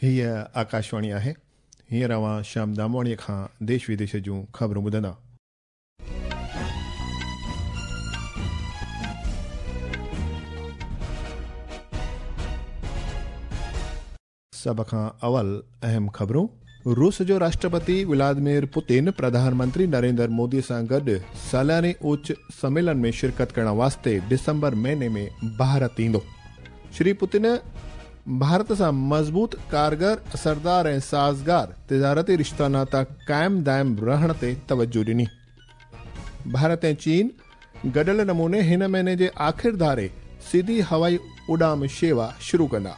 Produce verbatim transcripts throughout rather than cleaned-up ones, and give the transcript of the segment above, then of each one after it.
हीअ आकाशवाणी आहे। हींअर अव्हां श्याम दामवाणीअ खां देश विदेश जूं ख़बरूं ॿुधंदा। सभ खां अवल अहम ख़बरूं। रूस जो राष्ट्रपति व्लादिमीर पुतिन प्रधानमंत्री नरेंद्र मोदी सां गॾु सालाने उच्च सम्मेलन में शिरकत करण वास्ते डिसंबर महीने में भारत ईंदो। श्री पुतिन भारत सां मज़बूत, कारगर, असरदार ऐं साज़गार तिजारती रिश्ता नाता क़ाइम दाइम रहण ते तवज्जो ॾिनी। भारत ऐं चीन गॾियल नमूने हिन महीने जे आख़िर धारे सीधी हवाई उॾाम शेवा शुरू कंदा।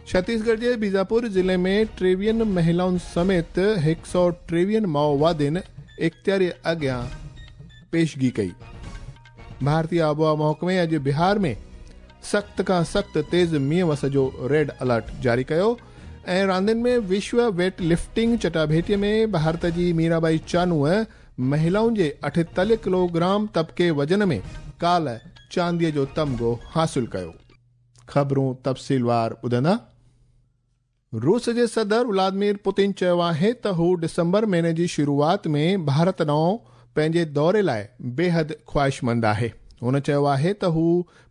छत्तीसगढ़ जे बीजापुर ज़िले में टेवीहनि महिलाउनि समेत हिकु सौ टेवीहनि माओवादियुनि इख़्तियारी अॻियां पेशगी कई। भारतीय आबोहवा महकमे अॼु बिहार में सख़्त खां सख़्त तेज़ मींहुं वस जो रेड अलर्ट जारी कयो। ऐं रांदियुनि में विश्व वेट लिफ्टिंग चटाभेटीअ में भारत जी मीराबाई चानूअ महिलाउनि जे अठेतालीह किलोग्राम तबके वज़न में काल्ह चांदीअ जो तमगो हासिल कयो। ख़बरूं तफ़सीलवार ॿुधंदा। रूस जे सदर व्लादिमीर पुतिन चयो आहे त हू डिसंबर महीने जी शुरूआत में भारत ॾांहुं पंहिंजे दौरे लाइ बेहद ख़्वाहिशमंद आहे। हुन चयो आहे त हू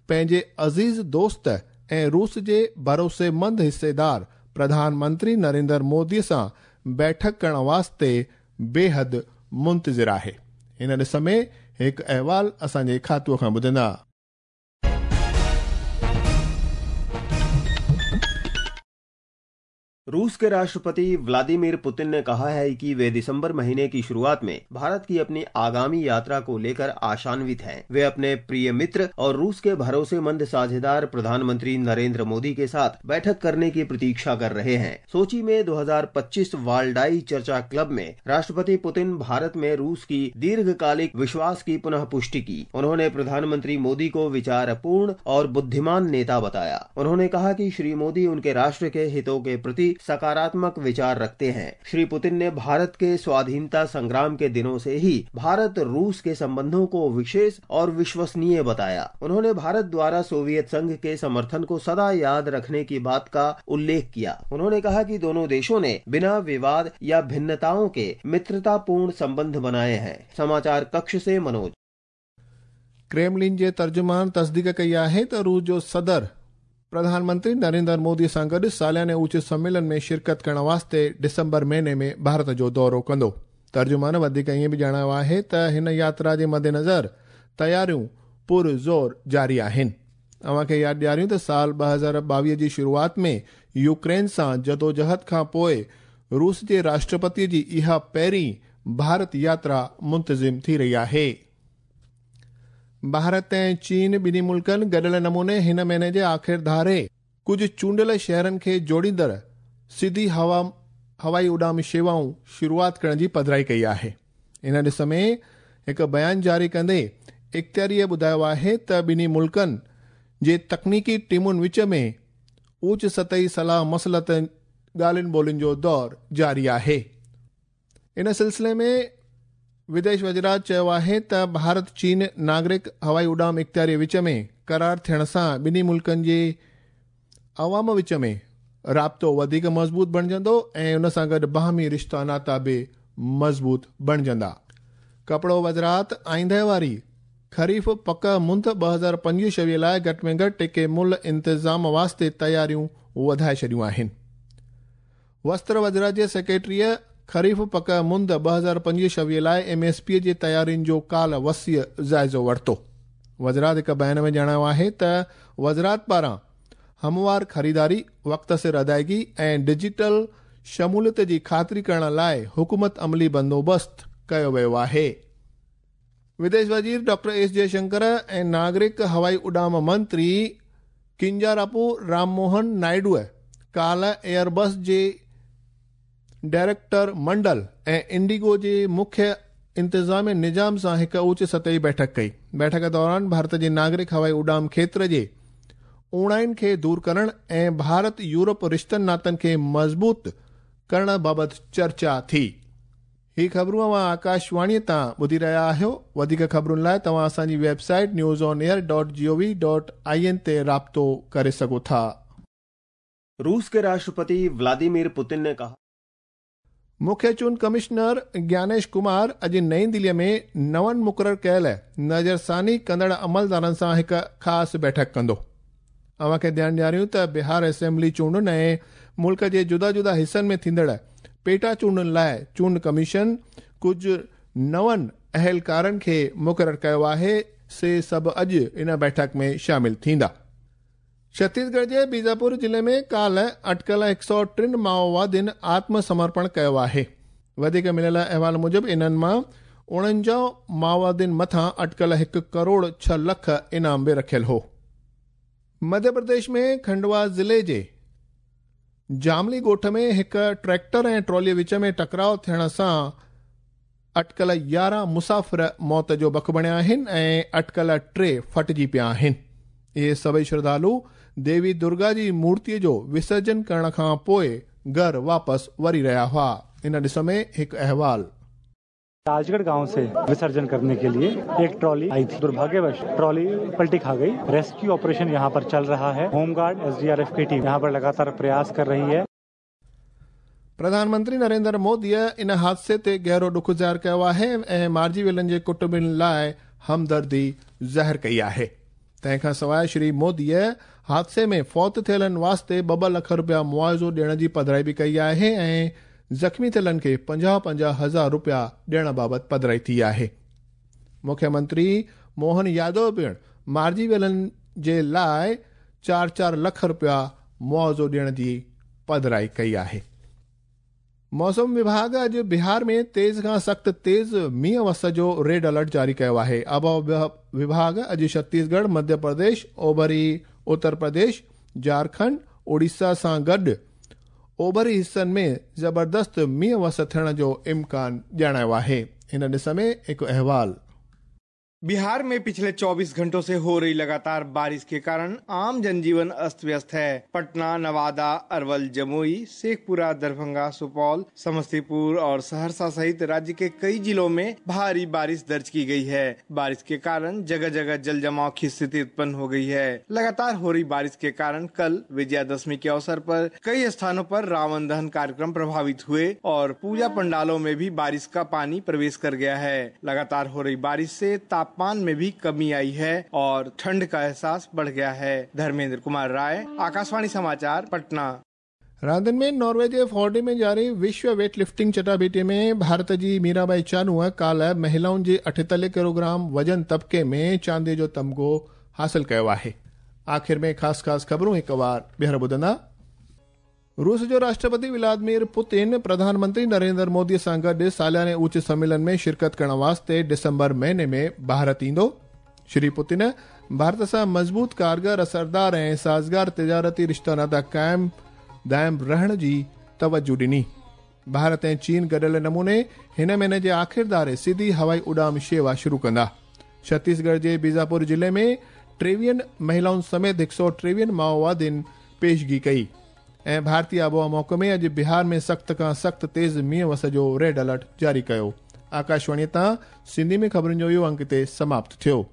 पंहिंजे अज़ीज़ दोस्त ऐं रूस जे भरोसेमंद हिस्सेदार प्रधानमंत्री नरेंद्र मोदी सां बैठक करण वास्ते बेहद मुंतज़िर आहे। हिन ॾिस में हिकु अहवाल असांजे खातूअ खां ॿुधंदा। रूस के राष्ट्रपति व्लादिमीर पुतिन ने कहा है कि वे दिसंबर महीने की शुरुआत में भारत की अपनी आगामी यात्रा को लेकर आशान्वित हैं। वे अपने प्रिय मित्र और रूस के भरोसेमंद साझेदार प्रधानमंत्री नरेंद्र मोदी के साथ बैठक करने की प्रतीक्षा कर रहे हैं। सोची में दो हज़ार पच्चीस वाल्डाई चर्चा क्लब में राष्ट्रपति पुतिन भारत में रूस की दीर्घकालिक विश्वास की पुनः पुष्टि की। उन्होंने प्रधानमंत्री मोदी को विचारपूर्ण और बुद्धिमान नेता बताया। उन्होंने कहा कि श्री मोदी उनके राष्ट्र के हितों के प्रति सकारात्मक विचार रखते हैं। श्री पुतिन ने भारत के स्वाधीनता संग्राम के दिनों से ही भारत रूस के संबंधों को विशेष और विश्वसनीय बताया। उन्होंने भारत द्वारा सोवियत संघ के समर्थन को सदा याद रखने की बात का उल्लेख किया। उन्होंने कहा कि दोनों देशों ने बिना विवाद या भिन्नताओं के मित्रतापूर्ण संबंध बनाए हैं। समाचार कक्ष से मनोज। क्रेमलिन जे तर्जुमान तस्दीक कई आहे त रूस जो सदर प्रधानमंत्री नरेंद्र मोदी सां गॾु सालाने उच्च सम्मेलन में शिरकत करण वास्ते डिसंबर महीने में भारत जो दौरो कंदो। तर्जुमान वधीक ईअं बि ॼाणायो आहे त हिन यात्रा जे मद्देनज़र तयारियूं पुरज़ोर जारी आहिनि। अव्हांखे यादि ॾियारियूं त साल ॿ हज़ार ॿावीह जी शुरूआत में यूक्रेन सां जदोजहद खां पोइ रूस जे राष्ट्रपति जी इहा पहिरीं भारत यात्रा मुंतज़िम थी रही आहे। भारत ऐं चीन ॿिन्ही मुल्कनि गॾियल नमूने हिन महीने जे आख़िर धारे कुझु चूंडियल शहरनि खे जोड़ींदड़ सीधी हवा हवाई उॾाम शेवाऊं शुरूआत करण जी पधराई कई आहे। इन ॾिस में हिकु बयान जारी कंदे इख़्तियारीअ ॿुधायो आहे त ॿिन्ही मुल्कनि जे तकनीकी टीमुनि विच में उच्च सतही सलाह मसलत ॻाल्हियुनि ॿोलियुनि जो दौर जारी आहे। इन सिलसिले में विदेश वज़रात चयो आहे त भारत चीन नागरिक हवाई उॾाम इख़्तियारी विच में करार थियण सां ॿिन्ही मुल्कनि जे अवाम विच में राब्तो वधीक मज़बूत बणिजंदो ऐं उन सां गॾु बाहमी रिश्ता नाता बि मज़बूत बणिजंदा। कपिड़ो वज़रात आईंदे वारी ख़रीफ़ पक मुंद ॿ हज़ार पंजवीह छवीह लाइ घटि में घटि टिके मुल्ह इंतिज़ाम वास्ते तयारियूं वधाए छॾियूं आहिनि। वस्त्र वज़रात जे सेक्रेटरीअ ख़रीफ़ पक मुंद ॿ हज़ार पंजवीह छवीह लाइ एम एस पी जे तयारियुनि जो काल्ह वसीअ जाइज़ो वरितो। वज़रात हिकु बयान में ॼाणायो आहे त वज़रात पारां हमवार ख़रीदारी, वक़्त सिर अदायगी ऐं डिजिटल शमूलियत जी ख़ातिरी करण लाइ हुकूमत अमली बंदोबस्तु कयो वियो आहे। विदेश वज़ीर डॉक्टर एस जयशंकर ऐं नागरिक हवाई उॾाम मंत्री किंजारापू राममोहन नायडूअ काल्ह एयरबस जे डायरेक्टर मंडल ऐं इंडिगो जे मुख्य इंतिज़ामी निज़ाम सां हिकु उच्च सतही बैठक कई। बैठक दौरान भारत जे नागरिक हवाई उॾाम क्षेत्र जे ऊणाइनि खे दूर करण ऐं भारत यूरोप रिश्तनि नातनि खे मज़बूत करण बाबति चर्चा थी। ही ख़बरूं अव्हां आकाशवाणीअ तां ॿुधी रहिया आहियो। वधीक ख़बरुनि लाइ तव्हां असांजी website news on air dot G O V dot I N ते राब्तो करे सघो था। रूस के राष्ट्रपति व्लादिमीर पुतिन ने कहा। मुख्य चूंड कमिश्नर ज्ञानेश कुमार अॼु नई दिल्लीअ में नवनि मुक़ररु कयल नज़रसानी कंदड़ अमलदारनि सां हिकु ख़ासि बैठक कंदो। अव्हां खे ध्यानु ॾियारियूं त बिहार असेंबली चूंडुनि ऐं मुल्क जे जुदा जुदा हिसनि में थींदड़ पेटा चूंडुनि लाइ चूंड कमीशन कुझु नवनि अहलकारनि खे मुक़ररु कयो आहे, से सभु अॼु इन बैठक में शामिल थींदा। छत्तीसगढ़ जे बीजापुर ज़िले में काल्ह अटकल हिकु सौ टिनि माओवादियुनि आत्मसमर्पण कयो आहे। वधीक मिलियल अहवाल मूजिबि इन्हनि मां उणंजाह माओवादियुनि मथां अटकल हिकु करोड़ छह लख इनाम बि रखियल हो। मध्य प्रदेश में खंडवा ज़िले जे जामली ॻोठ में हिकु ट्रैक्टर ऐं ट्रॉलीअ विच में टकराव थियण सां अटकल यारहं मुसाफ़िर मौत जो बक बणिया आहिनि ऐं अटकल टे फटिजी पिया आहिनि। इहे सभई श्रद्धालु देवी दुर्गा जी मूर्तीअ जो विसर्जन करण खां पोइ घर वापसि वरी रहिया हुआ। इन ॾिस में हिकु अहवाल। राजगढ़ गांव से विसर्जन करने के लिए एक ट्रॉली आई थी। दुर्भाग्यवश ट्रॉली पलटी खा गई। रेस्क्यू ऑपरेशन यहां पर चल रहा है। होमगार्ड, एसडीआरएफ की टीम यहां पर लगातार प्रयास कर रही है। प्रधानमंत्री नरेंद्र मोदीअ इन हादसे ते गहरो ॾुख ज़ाहिर कयो आहे ऐं मारिजी वियलनि जे कुटुंबनि लाइ हमदर्दी ज़ाहिर कई आहे। तंहिंखां सवाइ श्री मोदीअ हादसे में फौत थियलनि वास्ते ॿ ॿ लख रुपया मुआविज़ो ॾियण जी पधराई बि कई आहे ऐं ज़ख़्मी थियलनि खे पंजाह पंजाह हज़ार रुपया ॾियण बाबति पधराई थी आहे। मुख्यमंत्री मोहन यादव पिणु मारिजी वियलनि जे लाइ चारि चारि लख रुपया मुआविज़ो ॾियण जी पधराई कई आहे। मौसम विभाग अॼु बिहार में तेज़ खां सख़्तु तेज़ मींहुं वस जो रेड अलर्ट जारी कयो आहे। आबहावा विभाग अॼु छत्तीसगढ़, मध्य प्रदेश, ओभरी उत्तर प्रदेश, झारखंड, ओडिशा सां गॾु ओभरी हिसनि में ज़बरदस्त मींहुं वस थियण जो इम्कान ॼाणायो आहे। हिन ॾिस में हिकु अहवाल। बिहार में पिछले चौबीस घंटों से हो रही लगातार बारिश के कारण आम जनजीवन अस्त व्यस्त है। पटना, नवादा, अरवल, जमुई, शेखपुरा, दरभंगा, सुपौल, समस्तीपुर और सहरसा सहित राज्य के कई जिलों में भारी बारिश दर्ज की गई है। बारिश के कारण जगह जगह जल जमाव की स्थिति उत्पन्न हो गई है। लगातार हो रही बारिश के कारण कल विजयादशमी के अवसर पर कई स्थानों पर रावण दहन कार्यक्रम प्रभावित हुए और पूजा पंडालों में भी बारिश का पानी प्रवेश कर गया है। लगातार हो रही बारिश से तापमान में भी कमी आई है और ठंड का एहसास बढ़ गया है। धर्मेंद्र कुमार राय, आकाशवाणी समाचार, पटना। रांदि में नॉर्वे जे फोर्डे में जारी विश्व वेट लिफ्टिंग चटाभेटी में भारत जी मीराबाई चानूअ काल्ह महिलाउनि जे अठेतालीह किलोग्राम वजन तबके में चांदीअ जो तमगो हासिल कयो आहे। आख़िर में ख़ासि ख़ासि ख़बरूं हिकु वार ॿीहर ॿुधंदा। रूस जो राष्ट्रपति व्लादिमीर पुतिन प्रधानमंत्री नरेंद्र मोदी सां गॾु सालाने उच्च सम्मेलन में शिरकत करण वास्ते दिसंबर महीने में भारत ईंदो। श्री पुतिन भारत सां मज़बूत, कारगर, असरदार ऐं साज़गार तिजारती रिश्ता नाता क़ाइम दाइम रहण जी तवज्जो ॾिनी। भारत ऐं चीन गॾियल नमूने हिन महीने जे आख़िर धारे सीधी हवाई उॾाम शेवा शुरू कंदा। छत्तीसगढ़ जे बीजापुर ज़िले में टेवीहनि महिलाउनि समेत हिकु सौ टेवीहनि माओवादियुनि पेशगी कई। ऐं भारतीय आबहावा महकमे अॼु बिहार में सख़्त खां सख़्तु तेज़ मींहुं वस जो रेड अलर्ट जारी कयो। आकाशवाणीअ तां सिंधी में ख़बरुनि जो इहो अंक हिते समाप्त थियो।